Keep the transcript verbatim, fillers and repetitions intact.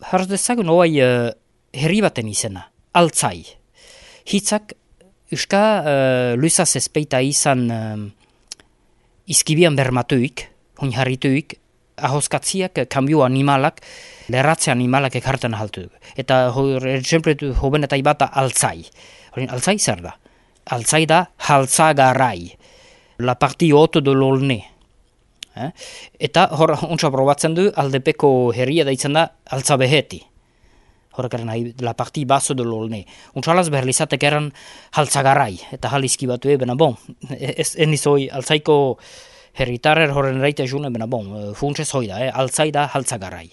Harz dezagun hoai uh, herri baten izena, Altzai. Hitzak uska uh, luizaz ezpeita izan uh, izkibian bermatuik, hon harrituik, ahoskatziak, kambio animalak, lerratze animalak ekartan haltu. Eta exempletu hoben eta ibata Altzai. Horin, Altzai zer da? Altzai da haltzagarai. La partie haute de l'Aulnay. Eh? Eta hor ontsa probatzen du aldepeko herria daitzen da Altzabeheti. Horrekaren nahi, la partie basso de l'Aulnay. Ontsalaz behar lizatek eran haltzagarai. Eta halizki batu ebena, bon, ez enizoi Altzaiko herritarrer horren reite june, bena bon, funtsez hoida, eh? Altzai da haltzagarai.